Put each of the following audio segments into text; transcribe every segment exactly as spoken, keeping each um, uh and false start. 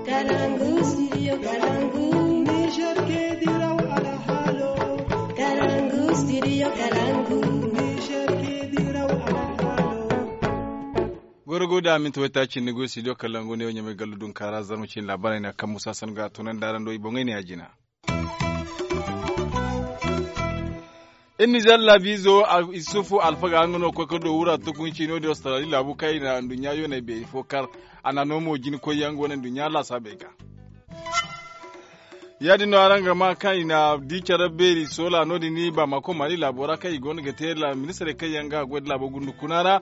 Kalangu, studio Kalangu. Niger ke diraw alhaalo. Kalangu, studio Kalangu. Niger ke diraw alhaalo. Goro go da minti waytaaci ni go studio Kalangu ne wo ɲamay gallu dun kaara zarma cin laabaray na kaŋ musa san ga tunandi araŋ do i boŋey ne a jina. Iri nizer laabiizo isufu alfaga nga no koy ka do wura tukunci no- din australi laabu kaŋ i na nduɲɲa yoonay beeri fo kar. A na no mo jina koyyaŋ go no nduɲɲa laasaabey ga. Ya- din no araŋ ga maa kaŋ i na di care beeri soola no- din ni baamako maali laabo ra kaŋ i go no ga te ministirey kaŋ yaŋ ga goy nda laabo gundu kuna ra.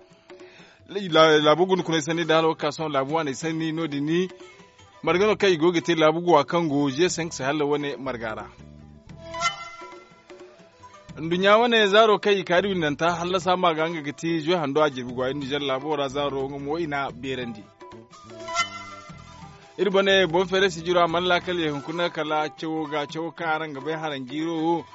Laabu gundukuney sanni nda hala wo ga ka sohõ laabu waaney sanni no- din ni marga no kaŋ i go ga te laabu guwa kaŋ go ze senk sahel wane marga ra. Nduɲɲa wane zaaro kaŋ i ka da windanta hallasa ma ga nga ga ti ze hando a jirbi guwa iri nizer laabo ra zaaro nga mo i na beerandi. Iri bone boŋ feeray sijiro a mana laakal ye hunkuna kala cawo ga cawo kaŋ araŋ ga bay haranjiiro wo.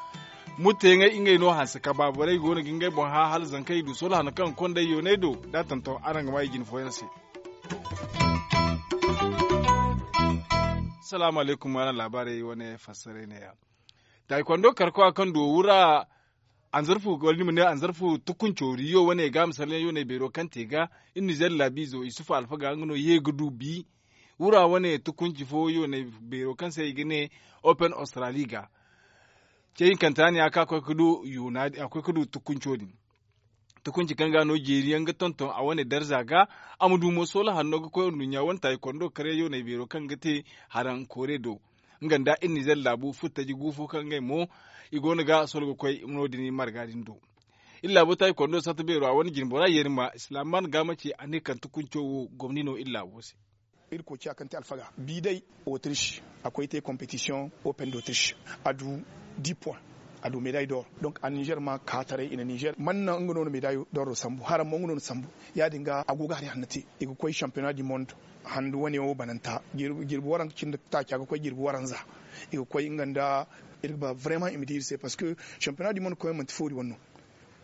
Mutteyaŋey ngey no hanse ka baaborey go no ga ngey boŋ hã hala zankey du solo hano kaŋ kondey yooney do da tonton araŋ ga maa i jine fooyaŋ se. Salaamu alaykum araŋ laabaarey wane fassaray neeya. Taayi kondo karkowa kaŋ du wura anzarfu wala ni ma ne anzarfu tukunco riyo wane ga misalyaŋ yooney beero kaŋ te ga iri nizer laabiizo isufu alfaga nga no ye ga du bi. Wura wane tukunci fo yooney beero kaŋ se i ga ne open australi ga. Ce hinkanta ne a ka koy ka du tukunco din. Tukunci kaŋ ga no jeeri yaŋ ga tonton a wane darza ga. A ma du mo soola hanno ga koy nduɲɲa wane taayi kondo kare yooney beero kaŋ ga te haraŋ koore do. Nga nda iri nizer laabu futtaji gu fo kaŋ ngey mo i go no ga solo ga koy no- din marga din do. Iri laabo taayi kondo satta beero a wane jinbora yeeri ma silaaman ga ma ci a ne kaŋ tukunco wo gomni no iri laabo se. Iri koy ciya kaŋ te alfaga bi day otrish a koy te kompetisiyoŋ open d'otrish a du di point. A du meday dor donk a nizer ma ka taray i na nizer man naŋ nga no na meday dor sambu haraŋ mo nga no na sambu. Ya- din ga a go ga hari hanno te i ga koy shampiyona du monde handu wane wo bananta jirbi waranka cindi taaca ga koy jirbi waranza. I ga koy nga nda iri ga ba vraiment i ma di iri se parce que shampiyona du monde koy manti foori wane no.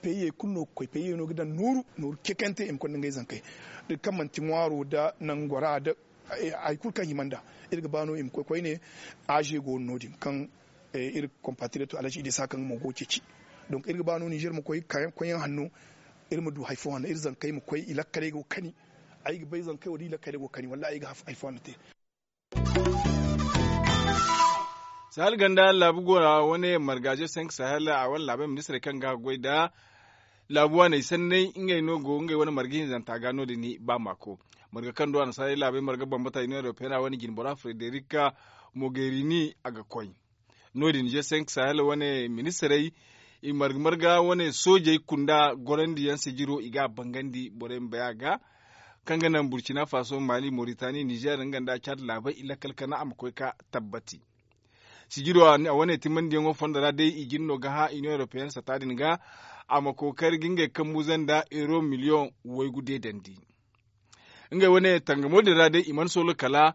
Peyey kulu no ga koy peyey no ga daŋ nooru nooru cekante i ma konda ngey zankey da kaŋ manti ŋwaaro da nangora da hari kulu kaŋ hima nda iri ga ba no i ma koy koyne. Aze go no- din kaŋ iri compatrioto alhaji idisa kaŋ mo go ga ceeci. Donk iri ga ba no nizer ma koy koyyaŋ hanno iri ma du hari fo hanno iri zankey ma koy i lakkaley go ga kani. Ay ga bay zankey wo da i lakkaley go ga kani wallahi ay ga hari fo hanno te. Sahel ganda laabu go ra wane margaze senk sahel a wane laabey ministirey kaŋ ga goy nda laabu waaney sanney ngey no go ngey wane marga hinzanta ga no- din ba maako. Marga kaŋ do a na sahel laabey marga bambata union européenne a wane jinbora frederica mogherini a ga koy. No- din je senk sahel wane ministirey i marga marga wane soojey kunda gorandiyaŋ sijiro i ga a bangandi borey ma bay a ga. Kaŋ ga naŋ burkina faso mali moritani nizer nga nda cad laabey i lakkal kana a ma koy ka tabbati. Sijiro a wane timandiyaŋo fondo ra day i jin no ga hã union européenne sata din ga a ma kookari ga ngey kambuza nda euro miliyoŋ waygu deedandi. Ngey wane tangamo din ra day i mana solo kala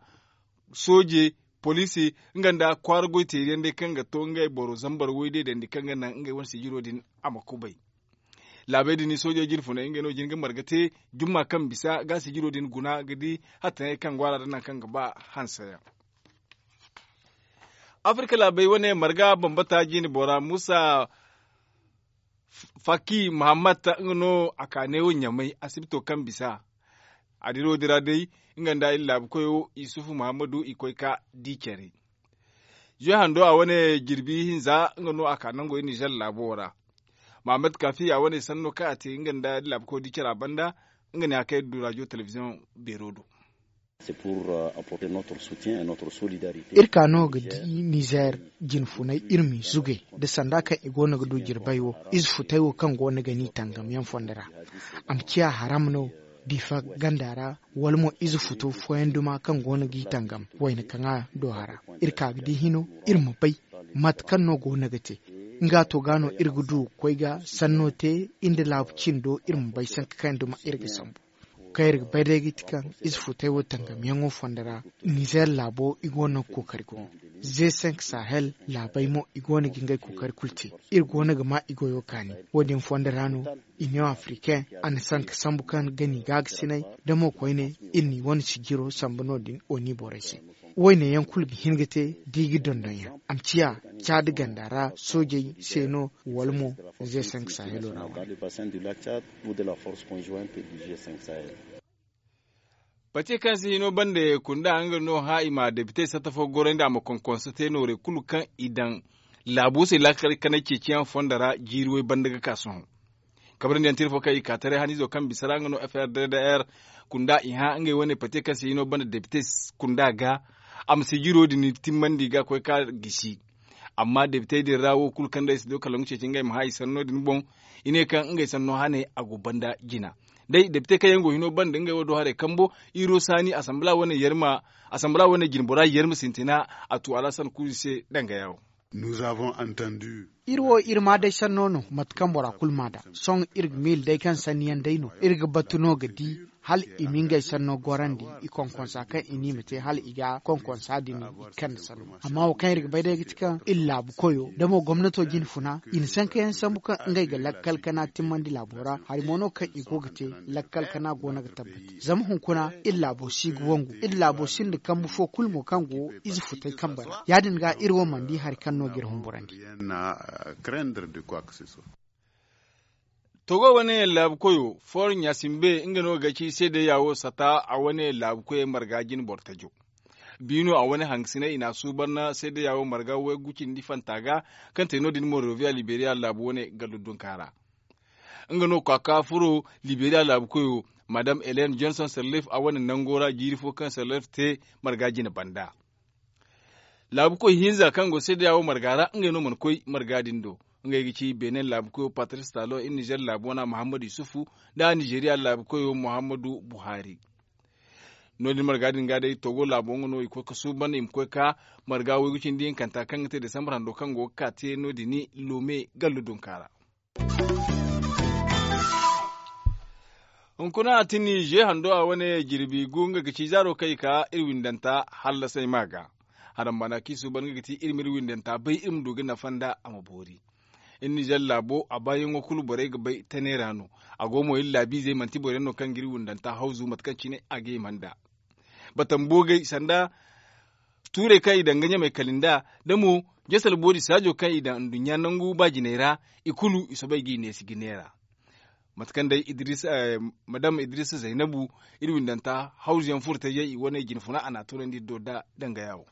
sooje poliisi nga nda kwaara goy teeriyaŋ day kaŋ ga to ngey boro zambar way deedandi kaŋ ga naŋ ngey wane sijiro din a ma kubay. Laabey din soojey jirfuney ngey no jin ga marga te jumma kaŋ bisa ga sijiro din guna ga di hattaŋey kaŋ go a ra da naŋ kaŋ ga ba hanseyaŋ. Afirka laabey wane marga bambata jine bora musa faki muhammad nga no a ka neewo ɲamay asibito kaŋ bisa. A diro din ra day nga nda iri laabu koyo isufu muhammadu i koy ka di care. Zuy hando a wane jirbi hinza nga no a ka nango iri nizer laabo ra. Muhammad kafi a wane sanno kaŋ a te nga nda iri laabu koyo di care a banda. Nga ne a kay du rajo telebiziyoŋ beero do. Iri ka no ga di nizer jinfunay iri m'i zugay nda sanda kaŋ i go no ga du jirbay wo ize futay wo kaŋ go no ga n'i tangam yaŋ fondo ra. A ma ciya haram no difa ganda ra wala mo ize futo fooyaŋ duma kaŋ go no g'i tangam wayna kaŋ a do hara. Iri ka ga di hino iri ma bay mate kaŋ no go no ga te. Nga to ga no iri ga du ga koy ga sanno te iri nda laabu cindo iri ma bay sanka kaŋ yaŋ duma iri ga sambu. Kaŋ iri ga bay day ga ti kaŋ ize futay wo tangamyaŋo fondo ra nizer laabo i go no ga kookari gumo. Ze cinq sahel laabey mo i go no ga ngey kookari kulu te. Iri go no ga ma i goyo kaani. Wo- din fondo ra no, iniyoŋ africaine a na sanka sambu kaŋ ga ni gaagasinay da mo koyne, iri n'i wane sijiro sambu no- din oni borey se. Wayne yaŋ kulu ga hin ga te da i ga dondon yaŋ a ma ciya caadi ganda ra soojey se no, wala mo ze cinq sahelo ra wane. Pate kaŋ se hino bande kunda nga no hã i ma depite satta fo gorandi a ma konkonso te noorey kulu kaŋ i daŋ laabo se laakal kanay ceeciyaŋ fondo ra jiiri way banda ga ka sohõ. Kabrandi yaŋ tira fo kaŋ i ka taray haniizo kaŋ bisa ra nga no f r d d r kunda i hã ngey wane pate kaŋ se hino banda depite kunda ga a ma sijiro din timmandi ga koy ka gisi. Amma depitey din ra wo kulu kaŋ day si do kala nga ceeci ngey ma hã i sanno din boŋ. I ne kaŋ ngey sanno hane a go banda jina. Day depitey kaŋ yaŋ go hino banda ngey wo do haray kambo iro saani asambala wane yarma asambala wane jinbora yarma sintina. A tu alasan kulu se danga yawo. Iri wo iri ma day sanno no mate kaŋ bora kulu ma da sohõ iri ga miila day kaŋ sanni yaŋ day no iri ga batu no ga di hala i ma ngey sanno gorandi i konkonsa kaŋ i ne i ma te hala i ga konkonsa din i kande sanno. Amma wo kaŋ iri ga bay day ga ti kaŋ iri laabu koyo da mo gomnato jine funa i na sankayaŋ sambu kaŋ ngey ga lakkal kana timmandi laabo ra hari mo no kaŋ i go ga te. Lakkal kana go no ga tabbati zama hunkuna iri laabo si ga wangu iri laabo sinda kambu fo kulu mo kaŋ go ize futay kambe ra ya- din ga iri wo mana di hari kaŋ no ga iri humburandi. Togo wane laabu koyo for ɲasimbe nga no ga ci seedeya wo sata a wane laabu koyey marga jine boro tajo. Biino a wane hangasiney i n'a suuban seedeya wo marga waygu cindi fanta ga kaŋ te no- din monroviya liberiya laabu wane gallo dunka ra. Nga no kwaaka furo liberiya laabu koyo madam helen johnson sirleef a wane nango ra jiiri fo kaŋ sirleef te marga jine banda. Laabukoy hinza kaŋ go seedeya wo marga ra ngey no mana koy marga din do. Ngey ga ci benin laabukoyo patris talon iri nizer laabu wana muhammadu yusufu nda nizeeriya laabukoyo muhammadu buhari. No- din marga din ga day togo laabo nga no i koy ga suuban i ma koy ga marga waygu cindi hinkanta kaŋ ga te desambar hando kaŋ go ga ka te no- din lome gallo dunka ra. Hunkuna a tini ze hando a wane jirbi gu nga ga ci zaaro kaŋ i ka iri windanta hallasay ma ga. Haram baana kaŋ i suuban nga ga ti iri ma iri windanta bay iri ma du ga nafa nda a ma boori. Iri nizer laabo a baayaŋo kulu borey ga bay tane ra no. A go mo iri laabiizey manti boro yaŋ no kaŋ ga iri windanta hawzu mate kaŋ cine a ga hima nda batamboogay sanda tuurey kaŋ i daŋ ga ɲamey kala nda da mo jasal boori saajo kaŋ i daŋ nduɲɲa nangu ba jiney ra. I kulu i soobay g'i neesi ga neera. Mate kaŋ day madam idrisa zaynabu iri windanta hawzuyaŋ furtayey i wane jine funa a n'a toonandi iri do da dangaya wo.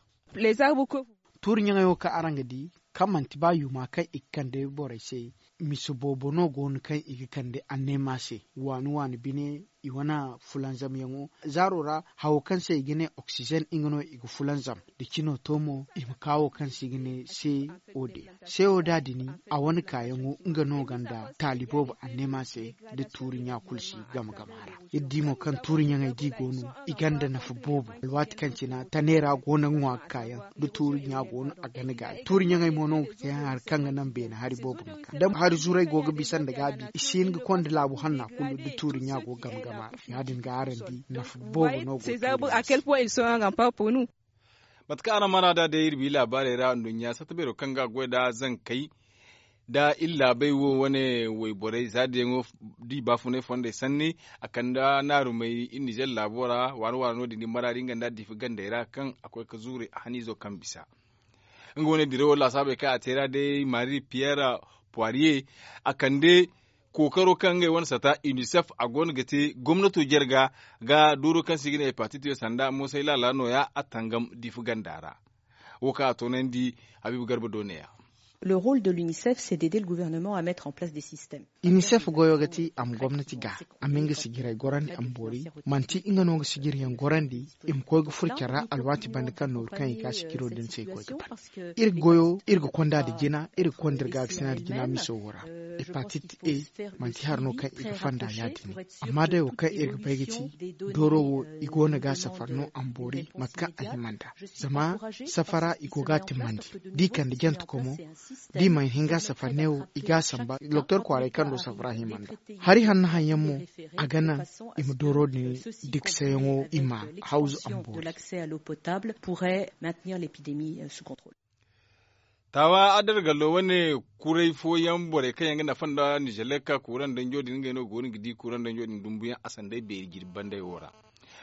Tuuri ɲaŋey wo kaŋ araŋ ga di kaŋ manti ba yuuma kaŋ i ga kande borey se. Mise boobo no go no kaŋ i ga kande anneema se waani waani bine i wane fulanzamyaŋo zaaro ra hawo kaŋ se i ga ne oksizen nga no i ga fulanzam da cino to mo i ma ka wo kaŋ se i ga ne se o de se o da dini a wane kaayaŋo nga no ganda taali boobo anneema se da tuuri ɲa kulu si game game a ra. Iri di mo kaŋ tuuri ɲaŋey di go no i ganda nafa boobo alwaati kaŋ cina tane ra go no ga ŋwa ga kaayaŋ da tuuri ɲa go no a gana gaayi tuuri ɲaŋey mo no ga te hari kaŋ ga naŋ beene hari boobo ma ka da hari zuray go ga bisa nda gaabi i si hin ga konda laabu hanna kulu da tuuri ɲa go game game a ra ya- din ga araŋ di nafa boobo no go ga te. Mate kaŋ araŋ mana da day iri bi laabaarey ra nduɲɲa satta beero kaŋ ga goy nda zankey da iri laabey wo wane wayborey za diyaŋo di baafunay fondey sanni a kande naarumey iri nizer laabo ra waani waani no- din di maraadi nga nda diifa gandey ra kaŋ a koy ga zuuri haniizo kaŋ bisa. Nga wane dirawo laasaabey kaŋ a te ra day marie pierre poirier a kande kookaro kaŋ ngey wane sata unicef a go no ga te gomnato jarga ga dooro kaŋ se i ga ne hepatite sanda moosay laala nooya a tangam diifa ganda ra. Wo kaŋ a toonandi habiibu garba do neeya. Le rôle de l'unicef c'est d'aider le gouvernement à mettre en place des systèmes. Unicef goyo ga ti a ma gomnati ga a ma nga sijiray gorandi a ma boori manti nga no ga sijiriyaŋ gorandi i ma koy ga furo care ra alwaati banda kaŋ nooru kaŋ i ga sijiro din se i koy ga ban. Iri goyo iri ga konda nda jina iri ga konda iri ga ga sina nda jina miso wo ra. Hepatit a manti hari no kaŋ i ga fonda ya- din amma day wo kaŋ iri ga bay ga ti dooro wo i go no ga safar no a ma boori mate kaŋ a hima nda zama safara i go ga a timmandi da i kande jante komo. Da i mana hin ga a safar ne wo i ga a samba doktor kwaaray kaŋ do safara hima nda hari hanno haŋ yaŋ mo. A ga naŋ i ma dooro din diksayaŋo i ma hawzu amboori. Taawa adargallo wane kuray fooyaŋ borey kaŋ yaŋ ga nafa nda nizelek kuuraŋ danjo din ngey no go no ga di kuuraŋ danjo din dumbuyaŋ a sanday beeri jirbi bandey wo ra.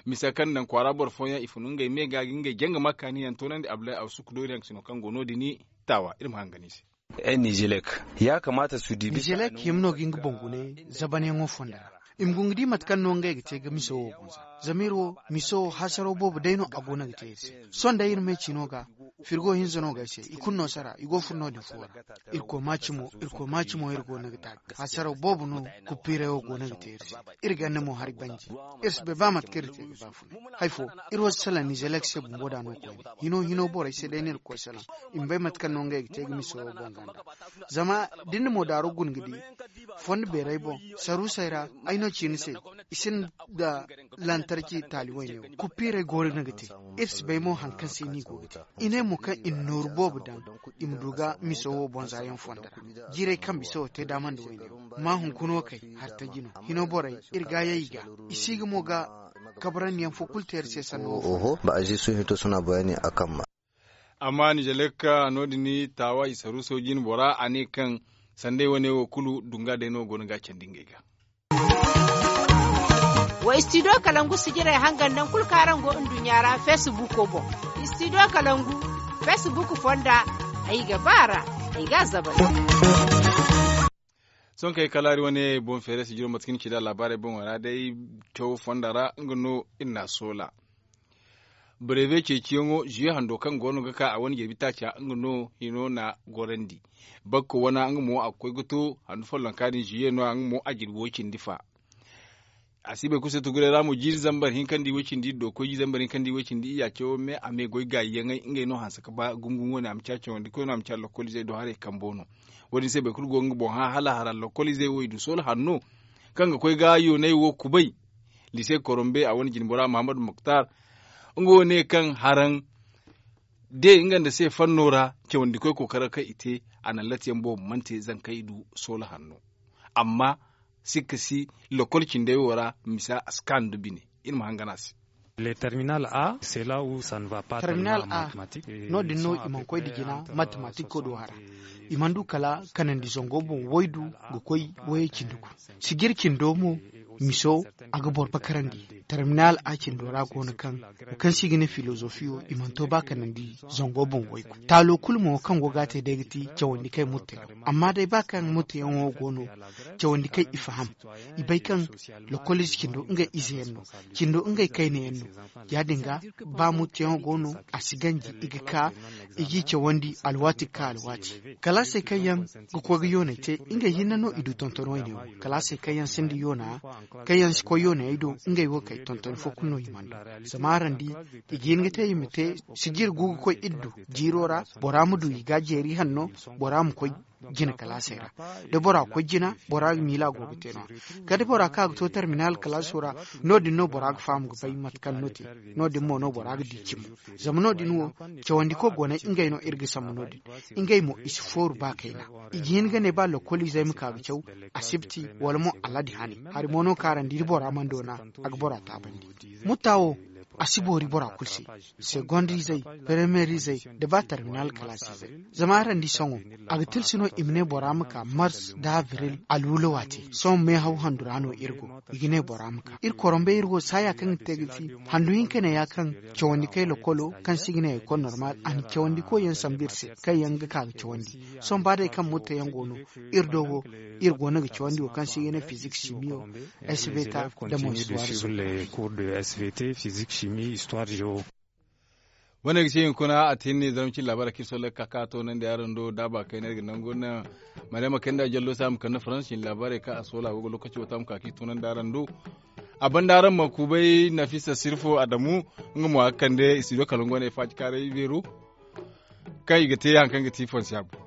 Misa kaŋ daŋ kwaara boro fooyaŋ i fun ngey me ga ga ngey janga ma kaani yaŋ toonandi abdulahi awsuk dooriyaŋ sino kaŋ go no- din. Taawa iri ma hangan i se. Nizelek hima no ga nga boŋ gune zabanyaŋo fonda ra. I ma go ga di mate kaŋ no ngey ga te ga miso wo boŋ za zama iri wo miso wo hasaraw boobo day no a go no ga te iri se. Sohõ day iri me ciino ga firgo hinza no ga ay se i kulu no sara i go furo no- din fo ra. Irkoy maaci mo iri go no ga te a ga hasaraw boobo no. Kuppiiray wo go no ga te iri se. Iri ganda mo hari banji. Iri si bay ba mate kaŋ iri te ga baafunay hari fo. Iri wo si salaŋ nizelek se bumbo da no koyne hino hino borey se day no iri ga koy salaŋ. I ma bay mate kaŋ no ngey ga te ga miso wo boŋ ganda. Zama da ni na moodaaro guna ga di fondo beerey boŋ saruusey ra ay no ci ni se. I sinda lantarki taali wayne wo kuppiirey go no ga te. Iri si bay mo hari kaŋ se no i go ga te. I ne mo kaŋ i na nooru boobo daŋ i ma du ga miso wo boŋ za yaŋ fondo ra. Jiirey kaŋ bisa wo te daama nda wayne wo ma hunkuna wo kay hartaji no hino borey iri ga yay i ga i si ga mo ga kabrandi yaŋ fo kulu te iri se sanno wo fo. Ba a zi su hito suna bayani a kamma. Amma nizelek no- din taawa i saruuso jine bora a ne kaŋ sanday wane wo kulu dunga day no go no ga a candi ngey ga. Wa istidiyo kalangu sijirey hangan naŋ kulu kaŋ araŋ go nduɲɲa ra feesibuuko boŋ. Istidiyo kalangu feesibuuk fonda ay ga ba a ra. Ay ga a zabari. Sohõ kay kalaari wane boŋ feere sijiro mate kaŋ ni ci nd'a laabaarey boŋo ra day cawo fonda ra nga no iri n'a soola. Bareebe ceeciyaŋo ziye hando kaŋ go no ga ka a wane jirbi taaca nga no hino n'a gorandi. Bakko wana nga mo a ga koy ga to handu follonka din ziye no- ya nga mo a jirbi way cindi fa. A si bay kulu se tuguray ra mo jiiri zambar hinkandi way cindi do koy jiiri zambar hinkandi way cindi iyya cawo me a me goy gaayi yaŋey ngey no hanse ga ba gumo gumo wane a ma ci a cawandi koy no a ma ci a lokoliizey do haray kambo no. Wo- din se boro kulu go ga nga boŋ hã hala hara lokoliizey wo i du soola hanno kaŋ ga koy ga yoonay wo kubay. Lise korombe a wane jine bora mahamadu muktar nga wo ne kaŋ haraŋ de nga nda se fanno ra cawandi koy kookara kaŋ i te a naŋ latiyaŋ boobo mana te zankey du soola hanno. Amma sikka si lokol cindey wo ra misa a si kaanu nda bine. Iri ma hangan a se. Terminal a no- din no i mana koy nda jina matematik koy do hara. I mana du kala kanandi zango boŋ waydu ga koy wayey cindi gu. Sijir cindo mo miso a ga boro bakarandi. Terminal a cindo ra go no kaŋ wo kaŋ se i ga ne filozofiyo i mana to ba kanandi zango boŋ waygu. Taalo kulu mo kaŋ go ga a te day ga ti cawandi kay murteyaŋo. Amma day ba kaŋ murteyaŋo go no cawandi kay i faham. I bay kaŋ lokoliize cindo ngey ize yaŋ no. Cindo ngey kayna yaŋ no. Ya- din ga ba murteyaŋo go no a si ganji i ga ka i g'i cawandi alwaati ga ka alwaati. Kalaasey kaŋ yaŋ ga koy ga yooney te ngey hinne no i du tonton wayne wo. Kalaasey kaŋ yaŋ sinda yoona kaŋ yaŋ si koy yooney do ngey wo kay tonton fo kulu no i mana du. Zama araŋ di i ga hin ga te i ma te sijir gu ga koy iri du jiiro ra. Bora ma du i ga jeeri hanno bora ma koy jina kalaasey ra. Da bora koy jina bora ga miila go ga te no- ya kala da bora ka ga to terminal kalaaso ra. No- din no bora ga faham ga bay mate kaŋ no te. No- din mo no bora ga di cimo. Zama no- din wo cawandi koy go no ngey no iri ga sambu no- din. Ngey mo i si fooru ba kayna. I ga hin ga ne ba lokoliizey ma ka ga caw asibti wala mo aladi hane. Hari mo no kaŋ araŋ di da bora mana doona a ga bora taabandi. Mutta wo a si boori bora kulu se. Segondizey, premiyerizey nda ba terminal kalaasizey. Zama araŋ di sohõ a ga tilsi no i ma ne bora ma ka mars nda abril alwulo waate. Sohõ meehaw handu ra no iri go i ga ne bora ma ka iri korombey iri wo saaya kaŋ ga te ga ti handu hinka ne ya kaŋ cawandi kay lokolo kaŋ se i ga ne ekol normal a na cawandi koy yaŋ sambu iri se kaŋ yaŋ ga ka ga cawandi. Sohõ ba day kaŋ murte yaŋ go no iri do wo iri go no ga cawandi wo kaŋ se i ga ne fizik simiyo, svt nda mo histoire zo. Wane ga se hinkuna a te ni zarma cin labaara kaŋ iri solla ga ka ka toonandi araŋ do daaba kayna iri ga nangu naŋ. Mariyama kayna da jallo se a ma kande faransi cin labaarey kaŋ a soola go ga lokaci wo to a ma ka ka i toonandi araŋ do. A banda araŋ ma kubay nafisa sirfo adamu nga mo a ga kande studio kalangu wane faacikaaray beero kaŋ i ga te hari kaŋ ga ti fonse a boŋ.